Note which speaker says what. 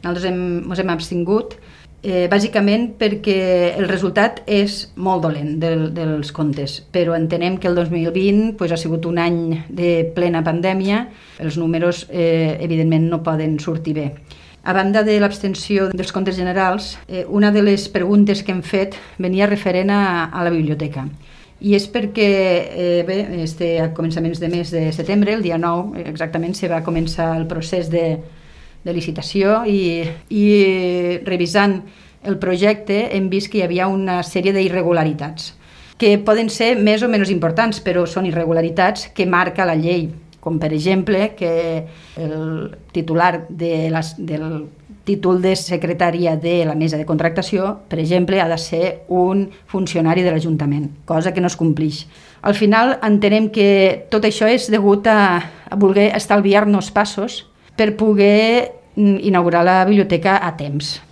Speaker 1: Nosaltres ens hem abstingut, bàsicament perquè el resultat és molt dolent dels comptes, però entenem que el 2020 ha sigut un any de plena pandèmia, els números evidentment no poden sortir bé. A banda de l'abstenció dels comptes generals, una de les preguntes que hem fet venia referent a la biblioteca. I és perquè a començaments de mes de setembre, el dia 9 exactament, se va començar el procés de licitació i revisant el projecte hem vist que hi havia una sèrie d'irregularitats que poden ser més o menys importants, però són irregularitats que marca la llei, com per exemple que el titular del títol de secretària de la mesa de contractació, per exemple, ha de ser un funcionari de l'Ajuntament, cosa que no es complix. Al final entenem que tot això és degut a voler estalviar-nos passos per poder inaugurar la biblioteca a temps.